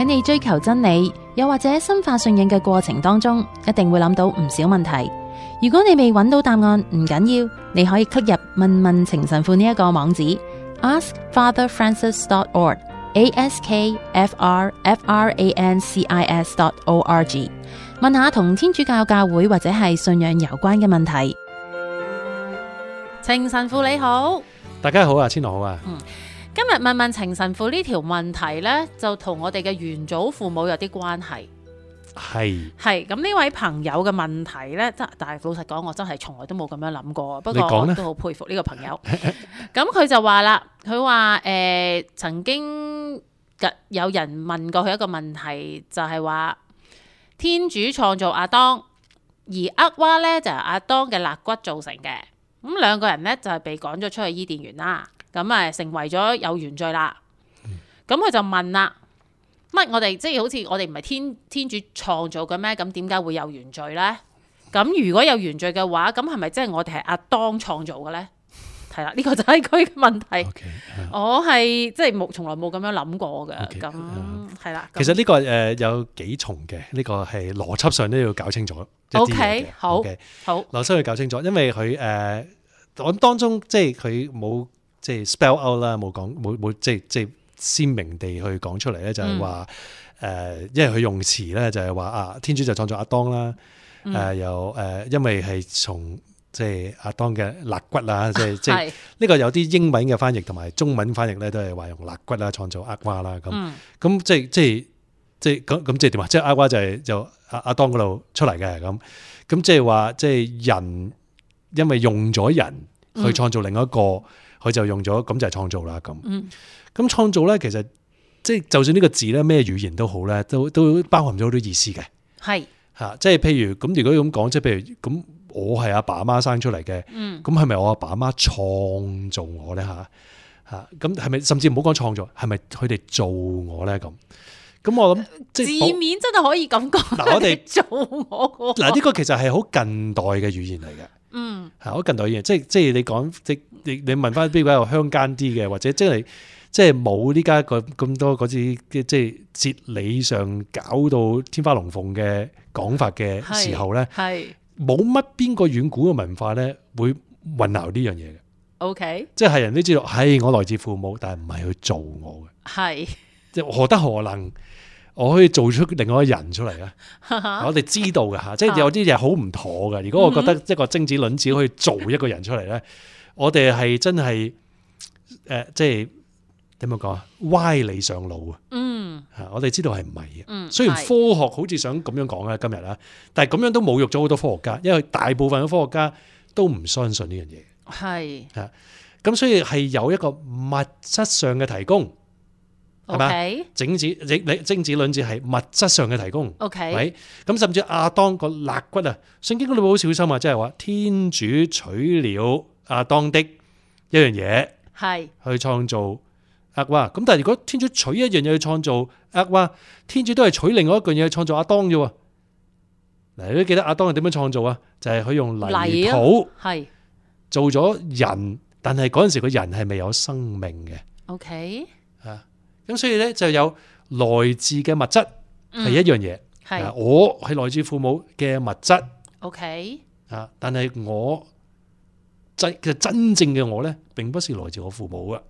喺你追求真理，又或者深化信仰嘅過程當中，一定會諗到唔少問題。如果你未揾到答案，唔緊要，你可以 click 入問問情神父呢一個網址 askfatherfrancis.org，askfrfrancis.org， 問下同天主教教會或者係信仰有關嘅問題。情神父你好，大家好啊，千樂好啊。今日問問情神父呢條問題呢，就同我哋嘅元祖父母有啲關係。係咁呢位朋友嘅問題呢，但係老實講，我真係從來都冇咁樣諗過。不過我都好佩服呢個朋友。咁佢就話啦，佢話曾經有人問過佢一個問題，就係話天主創造亞當，而厄娃呢就係亞當嘅肋骨造成嘅。咁兩個人呢，就係被趕咗出去伊甸園啦。咁成為咗有原罪啦。咁佢就問啦，乜我哋即係好似我哋唔係天主創造嘅咩？咁點解會有原罪呢？咁如果有原罪嘅話，咁係咪即係我哋係亞當創造嘅呢？係啦，呢個就係佢嘅問題。我係即係從來冇咁樣諗過嘅。咁係啦。其實呢個有幾重嘅，呢個係邏輯上都要搞清楚。OK， 好，邏輯要搞清楚，因為佢我當中即係佢冇。即係 spell out 啦，冇講冇即係鮮明地去講出嚟咧，就係話因為佢用詞咧就係話天主就創造亞當啦，又因為係從即係亞當嘅肋骨啊，即係呢個有啲英文嘅翻譯同埋中文翻譯咧都係話用肋骨啦創造厄娃啦咁，咁即係咁即係點啊？即係厄娃就亞當嗰度出嚟嘅咁即係話即係人因為用咗人去創造另一個。佢就用咗咁就係創造啦咁。咁創造咧，其實即係就算呢個字咧，咩語言都好咧，都包含咗好多意思嘅。係嚇，即係譬如咁，如果咁講，即係譬如咁，我係阿爸阿媽生出嚟嘅，咁係咪我阿爸阿媽創造我咧嚇？咁係咪甚至唔好講創造，係咪佢哋做我咧咁？咁我諗即係字面真係可以咁講。嗱，我哋做我嗱呢個其實係好近代嘅語言嚟嘅。係好近代語言，即係你講你問翻比較鄉間啲嘅，或者即係冇呢家咁多嗰啲即係哲理上搞到天花龍鳳嘅講法嘅時候咧，冇乜邊個遠古嘅文化咧會混淆呢樣嘢嘅。OK， 即係人都知道，係我來自父母，但係唔係去做我嘅。係即係何德何能？我可以做出另外一個人出嚟咧，我哋知道嘅吓，即係有啲嘢好唔妥嘅。如果我覺得一個精子卵子可以做一個人出嚟咧，我哋係真係即係點樣講啊？歪理上腦啊！我哋知道係唔係嘅。雖然科學好似想咁樣講啦，今日啦，但係咁樣都侮辱咗好多科學家，因為大部分嘅科學家都唔相信呢樣嘢。係咁，所以係有一個物質上嘅提供。係嘛？精子卵子係物質上嘅提供，係咁，甚至亞當個肋骨啊，聖經嗰度好小心啊，即係話天主取了亞當的一樣嘢，係去創造厄娃。咁但係如果天主取一樣嘢去創造厄娃，天主都係取另外一樣嘢去創造亞當啫。嗱，你都記得亞當係點樣創造啊？就係佢用泥土係做咗人，但係嗰陣時個人係未有生命嘅。OK 啊。咁所以咧就有來自嘅物質係一樣嘢，我係來自父母嘅物質，OK 啊，但係我真正嘅我咧，並不是來自我父母嘅，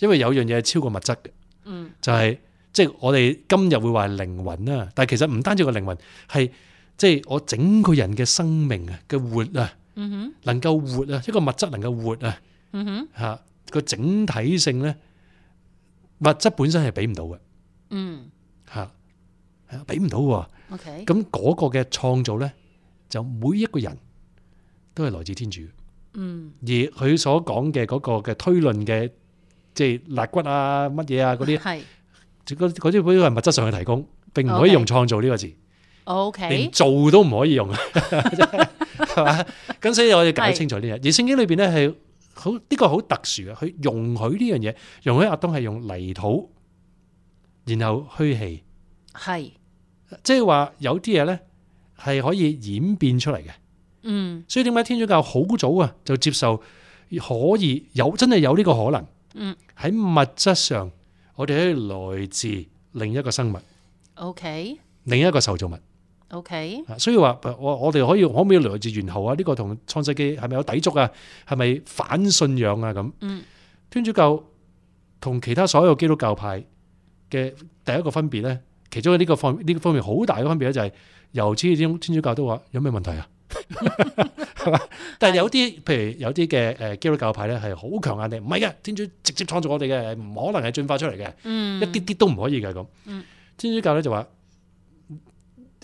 因為有樣嘢係超過物質嘅，就係即係我哋今日會話靈魂啦，但係其實唔單止個靈魂，係即係我整個人嘅生命啊嘅活啊，能夠活啊，一個物質能夠活啊，吓個整體性咧。物質本身係俾唔到嘅，俾唔到喎。咁嗰個嘅創造咧，就每一個人都係來自天主。而佢所講嘅嗰個嘅推論嘅，即係肋骨啊、乜嘢啊嗰啲，嗰啲都係物質上嘅提供，並唔可以用創造呢個字。連做都唔可以用，係嘛？咁所以我要搞清楚呢樣。而聖經裏邊咧係。好呢個好特殊嘅，佢容許呢樣嘢，容許亞當係用泥土，然後虛氣，係即係話有啲嘢咧係可以演變出嚟嘅。所以點解天主教好早啊就接受可以有真係有呢個可能。喺物質上，我哋可以來自另一個生物 OK， 另一個受造物 OK， 所以話我哋可唔可以來自猿猴啊？呢個同創世記係咪有抵觸啊？係咪反信仰啊？咁天主教同其他所有基督教派嘅第一個分別咧，其中呢個方面好大嘅分別咧，就係由始至終天主教都話有咩問題啊？係嘛？但係有啲譬如有啲嘅基督教派咧係好強硬嘅，唔係嘅，天主直接創造我哋嘅，唔可能係進化出嚟嘅，一啲啲都唔可以嘅咁。天主教咧就話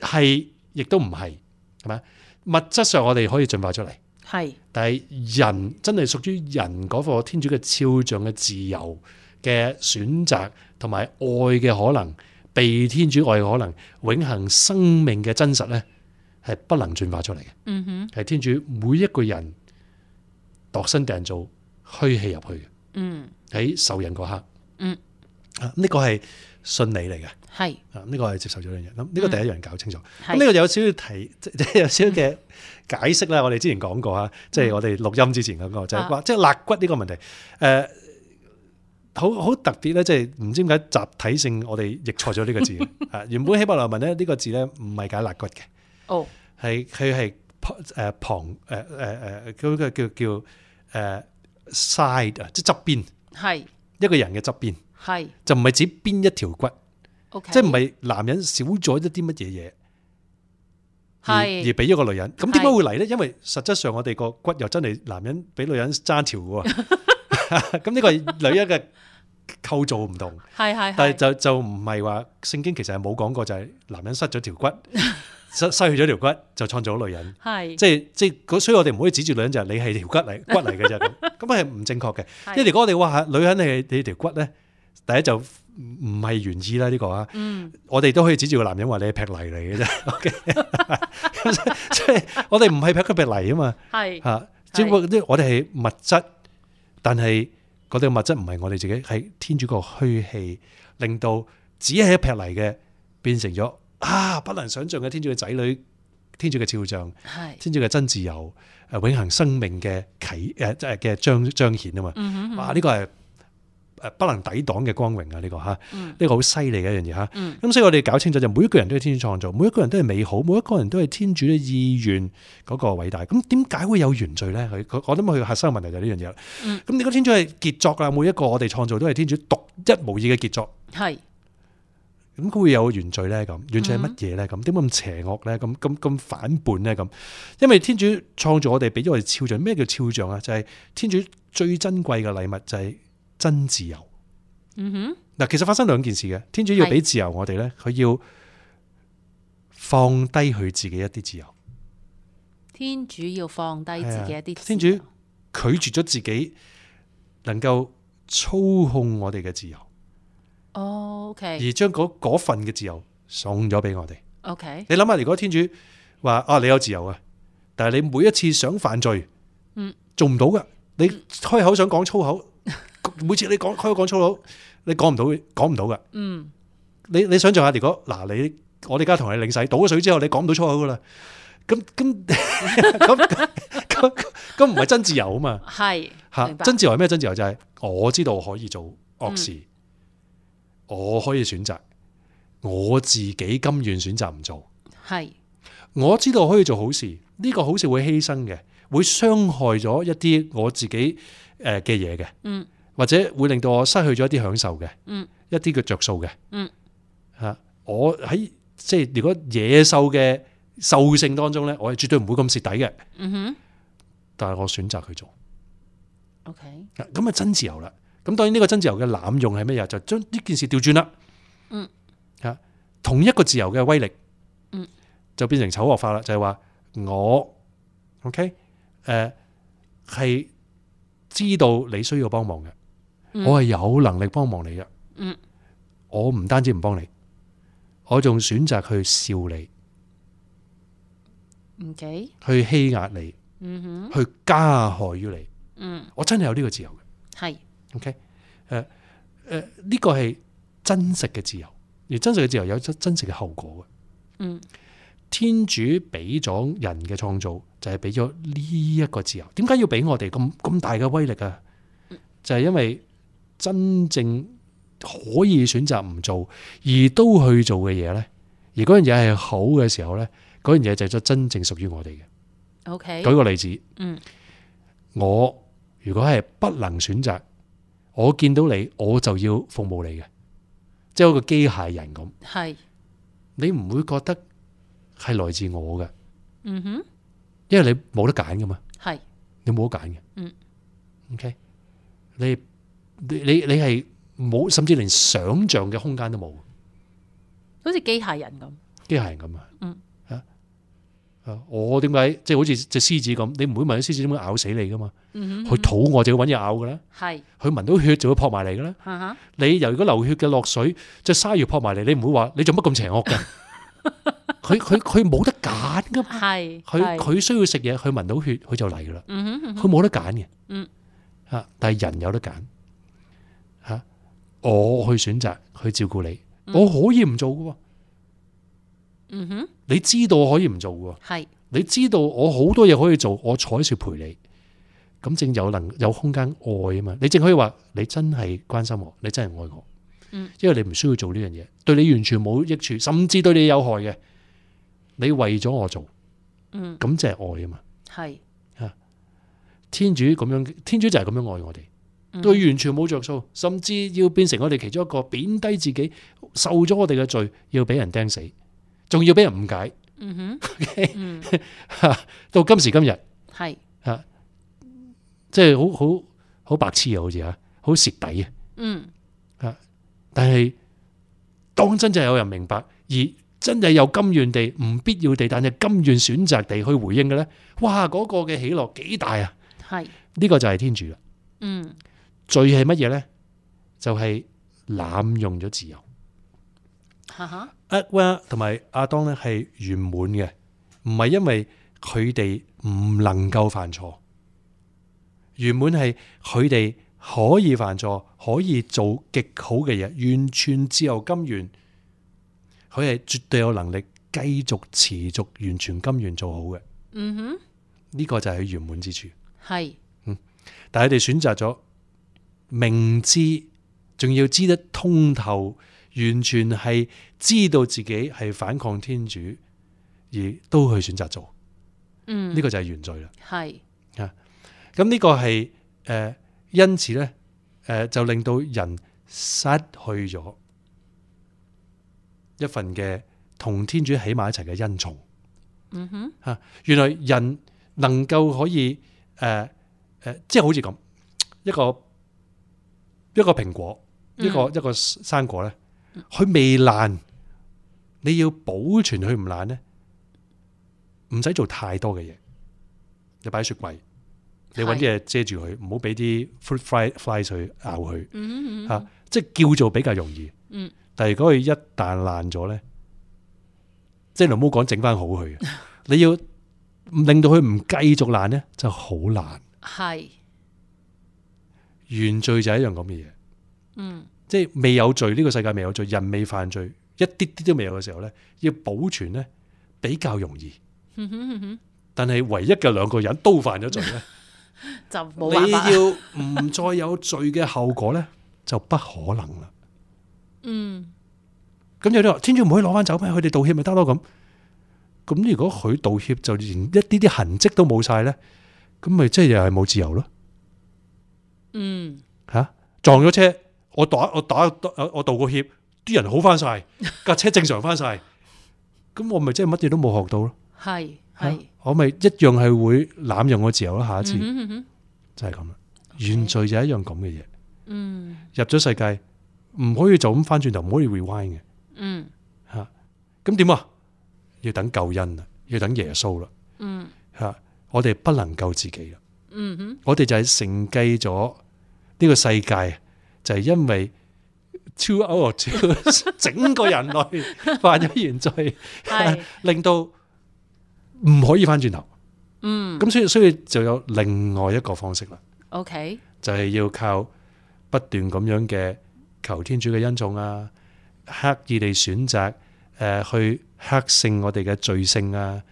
係，亦都唔係，係咪？物質上我哋可以進化出嚟，係，但係人真係屬於人嗰個天主嘅肖像嘅自由嘅選擇，同埋愛嘅可能，被天主愛嘅可能，永恆生命嘅真實咧，係不能進化出嚟嘅。係天主每一個人度身訂造虛氣入去嘅。喺受孕嗰刻，呢個係信理嚟嘅，係呢個係接受咗呢樣嘢。咁呢個第一樣搞清楚。咁呢個有少少提，即係有少少嘅解釋啦。我哋之前講過吓，即係我哋錄音之前嗰個就係話，即係肋骨呢個問題，好特別咧，即係唔知點解集體性我哋譯錯咗呢個字。原本希伯來文咧呢個字咧唔係解肋骨嘅，係佢係旁嗰個叫side 啊，即係側邊，係一個人嘅側邊，係就唔係指邊一條骨，即係唔係男人少咗一啲乜嘢嘢，而俾咗個女人。咁點解會嚟咧？因為實質上我哋個骨又真係男人比女人爭條嘅喎。咁呢個係女人嘅構造唔同，但係就唔係話聖經其實係冇講過，就係男人失咗條骨。失去咗條骨就創造咗女人，係即係，所以我哋唔可以指住女人就係你係條骨嚟嘅啫，咁係唔正確嘅。因為如果我哋話女人係你條骨咧，第一就唔係原意啦呢個啊。我哋都可以指住個男人話你係劈泥嚟嘅啫。OK， 即係我哋唔係劈泥啊嘛，係吓，只不過我哋係物質，但係嗰啲物質唔係我哋自己，係天主個虛氣令到只係一劈泥嘅變成咗。不能想象嘅天主嘅仔女，天主嘅肖像，天主嘅真自由，永恆生命嘅嘅彰顯啊嘛！哇，呢個係不能抵擋嘅光榮啊！呢個呢個好犀利嘅一樣嘢吓。咁所以我哋搞清楚就每一個人都係天主創造，每一個人都係美好，每一個人都係天主嘅意願嗰個偉大。咁點解會有原罪咧？我諗佢核心嘅問題就係呢樣嘢啦。咁你個天主係傑作啦，每一個我哋創造都係天主獨一無二嘅傑作。係。咁佢會有原罪咧？咁原罪係乜嘢咧？咁點解咁邪惡咧？咁反叛咧？咁因為天主創造我哋，俾咗我哋肖像。咩叫肖像啊？就係天主最珍貴嘅禮物，就係真自由。嗱，其實發生兩件事嘅。天主要俾自由我哋咧，佢要放低佢自己一啲自由。天主要放低自己一啲自由。天主拒絕咗自己能夠操控我哋嘅自由。OK， 而將嗰份嘅自由送咗俾我哋。OK， 你諗下，如果天主話你有自由啊，但係你每一次想犯罪，做唔到噶。你開口想講粗口，每次你開口講粗口，你講唔到噶。你想象下，如果我哋而家同你領洗，倒咗水之後，你講唔到粗口噶啦。咁唔係真自由啊嘛。係真自由係咩？真自由就係我知道我可以做惡事。我可以選擇，我自己甘願選擇唔做。係，我知道我可以做好事，呢個好事會犧牲嘅，會傷害咗一啲我自己嘅嘢嘅，或者會令到我失去咗一啲享受嘅，一啲嘅着數嘅。我喺即係如果野獸嘅獸性當中咧，我係絕對唔會咁蝕底嘅。但係我選擇去做。OK， 咁啊真自由啦。咁當然呢個真自由嘅濫用係咩嘢？就將呢件事調轉啦。同一個自由嘅威力，就變成醜惡化啦。就係話我 OK， 係知道你需要幫忙嘅，我係有能力幫忙你嘅。我唔單止唔幫你，我仲選擇去笑你，OK， 去欺壓你，去加害於你。我真係有呢個自由嘅。係。OK， 呢個係真實嘅自由，而真實嘅自由有真實嘅後果嘅。天主俾咗人嘅創造，就係俾咗呢一個自由。點解要俾我哋咁大嘅威力啊？就係因為真正可以選擇唔做而都去做嘅嘢咧，而嗰樣嘢係好嘅時候咧，嗰樣嘢就係真正屬於我哋嘅。OK，舉個例子，我如果係不能選擇，我見到你我就要服務你嘅，即係一個機械人咁。係，你唔會覺得係來自我嘅，因為你冇得揀噶嘛，係，你冇得揀嘅，OK，你係冇，甚至連想象嘅空間都冇，好似機械人咁，機械人咁啊，我點解即係好似隻獅子咁？你唔會問啲獅子點解咬死你噶嘛？佢肚餓就要搵嘢咬噶啦，係，佢聞到血就會撲埋嚟噶啦。你如果流血嘅落水，隻鯊魚撲埋嚟，你唔會話你做乜咁邪惡嘅？佢冇得揀噶嘛，係，佢需要食嘢，佢聞到血佢就嚟噶啦，佢冇得揀嘅，但係人有得揀，我去選擇去照顧你，我可以唔做噶。你知道我可以唔做嘅，係，你知道我好多嘢可以做，我坐喺處陪你，咁正有空間愛啊嘛，你正可以話你真係關心我，你真係愛我，因為你唔需要做呢樣嘢，對你完全冇益處，甚至對你有害嘅，你為咗我做，咁即係愛啊嘛，係，天主咁樣，天主就係咁樣愛我哋，對完全冇着數，甚至要變成我哋其中一個貶低自己，受咗我哋嘅罪，要俾人釘死。仲要俾人誤解，到今時今日係即係好白痴啊，好似好蝕底啊，但係當真就有人明白，而真係有甘願地唔必要地，但係甘願選擇地去回應嘅咧，哇！嗰個嘅喜樂幾大啊！係呢個就係天主啦。罪係乜嘢咧？就係濫用咗自由。厄娃同埋亞當咧係圓滿嘅，唔係因為佢哋唔能夠犯錯，圓滿係佢哋可以犯錯，可以做極好嘅嘢，完全自由甘願，佢係絕對有能力繼續持續完全甘願做好嘅。呢個就係佢圓滿之處。係，但係佢哋選擇咗明知，仲要知得通透。完全係知道自己係反抗天主，而都去選擇做，呢個就係原罪啦。係啊，咁呢個係因此咧，就令到人失去咗一份嘅同天主喺埋一齊嘅恩寵。原來人能夠可以即係好似咁一個蘋果，一個生果咧。佢未爛，你要保存佢唔爛咧，唔使做太多嘅嘢。你擺喺雪櫃，你搵啲嘢遮住佢，唔好俾啲 fruit flies 去咬佢。即係叫做比較容易。但係如果佢一旦爛咗咧，即係你唔好講整翻好佢，你要令到佢唔繼續爛咧，就好難。係原罪就係一樣咁嘅嘢。即係未有罪，呢個世界未有罪，人未犯罪，一啲啲都未有嘅時候咧，要保存咧比較容易。但係唯一嘅兩個人都犯咗罪咧，就冇辦法。你要唔再有罪嘅後果咧，就不可能啦。咁有啲話天主唔可以攞翻走咩？佢哋道歉咪得咯咁。咁如果佢道歉就連一啲啲痕跡都冇晒咧，咁咪即係又係冇自由咯。撞咗車。我道個歉，啲人好翻晒，架車正常翻晒，咁我咪即係乜嘢都冇學到咯。係，我咪一樣係會濫用我自由咯。下一次就係咁啦。原罪就係一樣咁嘅嘢。入咗世界唔可以就咁翻轉頭，唔可以 rewind 嘅。咁點啊？要等救恩啊，要等耶穌啦。我哋不能救自己啦。我哋就係承繼咗呢個世界。就係因為 two out of two 整個人類犯咗原罪，令到唔可以翻轉頭。咁所以就有另外一個方式啦。OK，就係要靠不斷咁樣嘅求天主嘅恩寵啊，刻意地選擇去克勝我哋嘅罪性啊，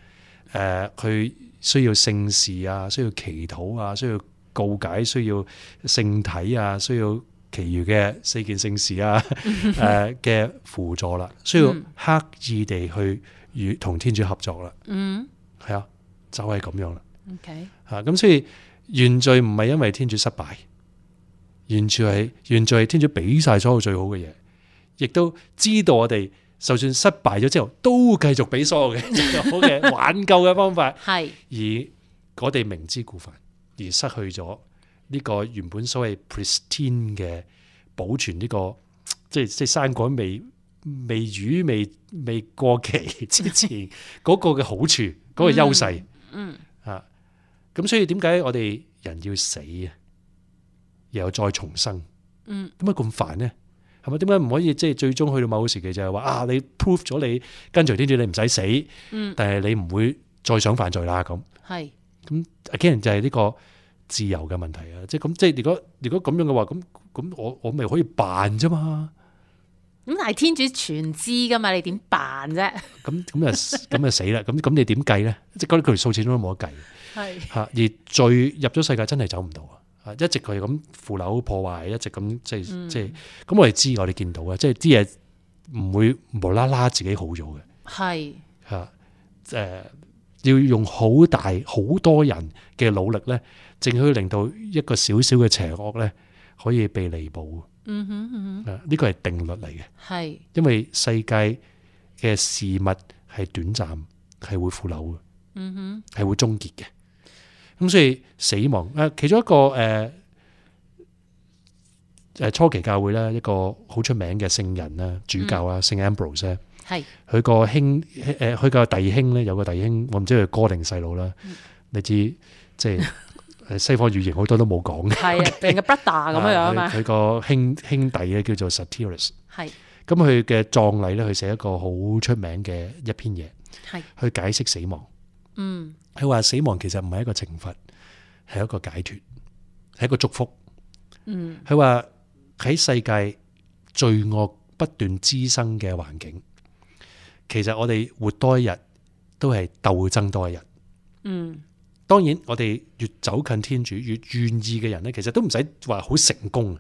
去需要聖事啊，需要祈禱啊，需要告解，需要聖體啊，需要其餘嘅4件聖事啊嘅輔助啦，需要刻意地去與同天主合作啦。係啊，就係咁樣啦。OK， 咁所以原罪唔係因為天主失敗，原罪係天主俾晒所有最好嘅嘢，亦都知道我哋就算失敗咗之後，都繼續俾所有嘅最好嘅挽救嘅方法。係而我哋明知故犯，而失去咗呢個原本所謂 pristine 嘅保存呢個即係生果未過期之前嗰個嘅好處，嗰個優勢。咁所以點解我哋人要死啊，又再重生？點解咁煩呢？係咪？點解唔可以即係最終去到某個時期就係話你 prove 咗你跟隨天主，你唔使死，但係你唔會再想犯罪啦咁。係咁，again就係呢個自由嘅問題啊！即係咁，即係如果咁樣嘅話，咁我咪可以扮啫嘛。咁但係天主全知噶嘛，你點扮啫？咁啊死啦！咁你點計咧？即係嗰條數始終都冇得計。係吓，而罪入咗世界真係走唔到啊！一直佢咁腐朽破壞，一直咁即係咁我哋知，我哋見到啊！即係啲嘢唔會無啦啦自己好咗嘅。係吓要用好多人嘅努力咧，正可以令到一個小小嘅邪惡咧可以被彌補。呢個係定律嚟嘅。係因為世界嘅事物係短暫，係會腐朽嘅，係會終結嘅。咁所以死亡其中一個初期教會咧，一個好出名嘅聖人啦，主教啊，聖 Ambrose 咧，係佢個佢個弟兄咧，有個弟兄，我唔知佢哥定細佬啦。你知即係西方語言好多都冇講嘅，係啊，定個 brother 咁樣樣嘛。佢個兄弟咧叫做 Satyrus， 係咁佢嘅葬禮咧，佢寫一個好出名嘅一篇嘢，係去解釋死亡。佢話死亡其實唔係一個懲罰，係一個解脫，係一個祝福。佢話喺世界罪惡不斷滋生嘅環境，其實我哋活多一日都係鬥爭多一日。當然我哋越走近天主，越願意嘅人咧，其實都唔使話好成功。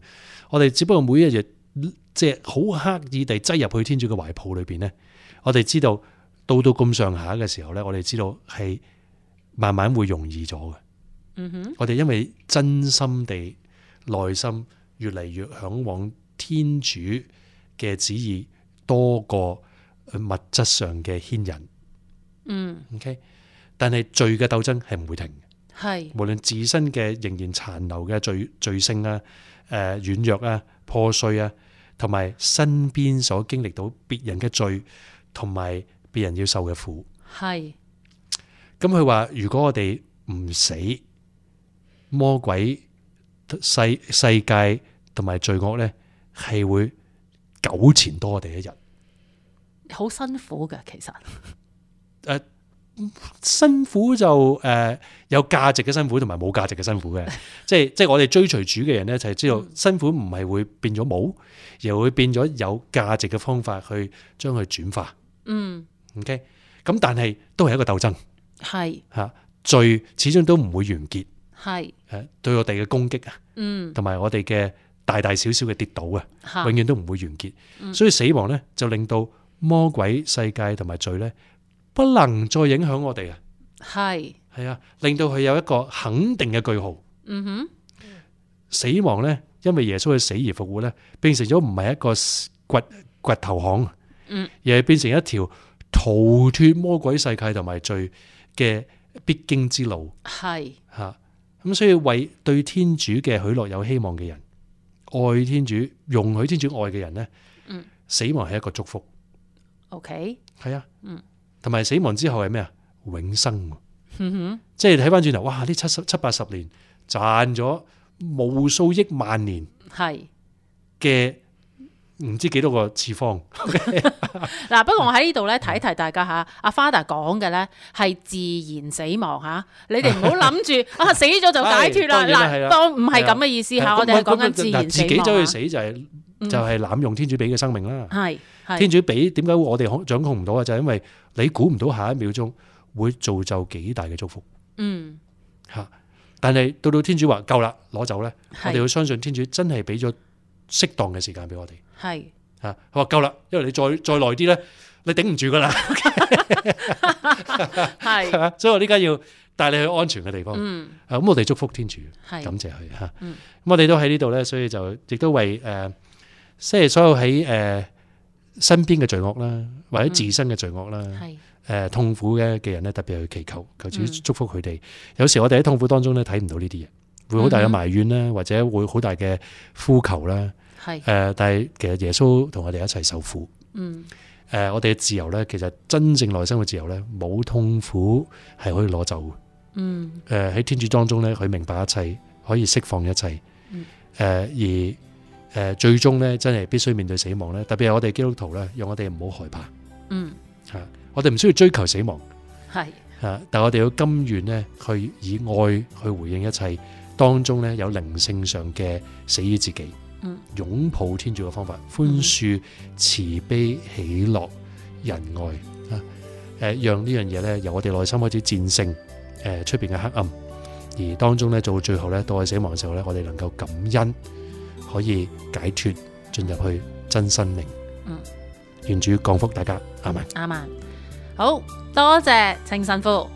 我哋只不過每一日即係好刻意地擠入去天主嘅懷抱裏邊咧，我哋知道到咁上下嘅時候咧，我哋知道係慢慢會容易咗嘅。我哋因為真心地內心越嚟越向往天主嘅旨意多過物質上嘅牽引。OK， 但係罪嘅鬥爭係唔會停嘅。係無論自身嘅仍然殘留嘅罪性啊、軟弱啊、破碎啊，同埋身邊所經歷到別人嘅罪，同埋別人要受嘅苦。係咁佢話，如果我哋唔死，魔鬼世界同埋罪惡咧，係會糾纏多我哋一日。好辛苦嘅，其實辛苦就有價值嘅辛苦同埋冇價值嘅辛苦嘅。即係我哋追隨主嘅人咧，就係知道辛苦唔係會變咗冇，而會變咗有價值嘅方法去將佢轉化。OK， 咁但係都係一個鬥爭。係吓，罪始終都唔會完結。係對我哋嘅攻擊啊，同埋我哋嘅大大小小嘅跌倒啊，永遠都唔會完結。所以死亡咧就令到魔鬼世界同埋罪咧不能再影響我哋啊。係啊，令到佢有一個肯定嘅句號。死亡咧，因為耶穌嘅死而復活咧，變成咗唔係一個掘頭巷，而係變成一條逃脫魔鬼世界同埋罪嘅必經之路。係吓。咁所以為對天主嘅許諾有希望嘅人，愛天主、容許天主愛嘅人咧，死亡係一個祝福。OK， 係啊，同埋死亡之後係咩啊？永生。即係睇翻轉頭，哇！呢七八十年賺咗無數億萬年係嘅。唔知幾多個次方。嗱，不過我喺呢度咧提一提大家吓，阿 Father 講嘅咧係自然死亡吓，你哋唔好諗住死咗就解脫啦。嗱，當唔係咁嘅意思吓，我哋係講緊自然死亡。自己走去死就係濫用天主俾嘅生命啦。係天主俾，點解我哋掌控唔到啊？就係因為你估唔到下一秒鐘會造就幾大嘅祝福。吓，但係到天主話夠啦，攞走咧，我哋要相信天主真係俾咗適當嘅時間俾我哋。係佢話夠啦，因為你再耐啲咧，你頂唔住噶啦。係所以我呢家要帶你去安全嘅地方。咁我哋祝福天主，感謝佢嚇。咁我哋都喺呢度咧，所以就亦都為即係所有喺身邊嘅罪惡啦，或者自身嘅罪惡啦，痛苦嘅人咧，特別去祈求主祝福佢哋。有時我哋喺痛苦當中咧睇唔到呢啲嘢，會好大嘅埋怨啦，或者會好大嘅呼求啦。但係其實耶穌同我哋一齊受苦。我哋嘅自由咧，其實真正內心嘅自由咧，冇痛苦係可以攞走嘅。喺天主當中咧，佢明白一切，可以釋放一切。而最終咧，真係必須面對死亡咧。特別係我哋基督徒咧，讓我哋唔好害怕。我哋唔需要追求死亡。但我哋要甘願咧，去以愛去回應一切，當中咧有靈性上嘅死於自己。擁抱天主嘅方法，寬恕、慈悲、喜樂、仁愛讓呢樣嘢咧由我哋內心開始戰勝出邊嘅黑暗，而當中咧到最後咧到係死亡嘅時候咧，我哋能夠感恩，可以解脫進入去真生命。願主降福大家，阿們。阿們，好多謝程神父。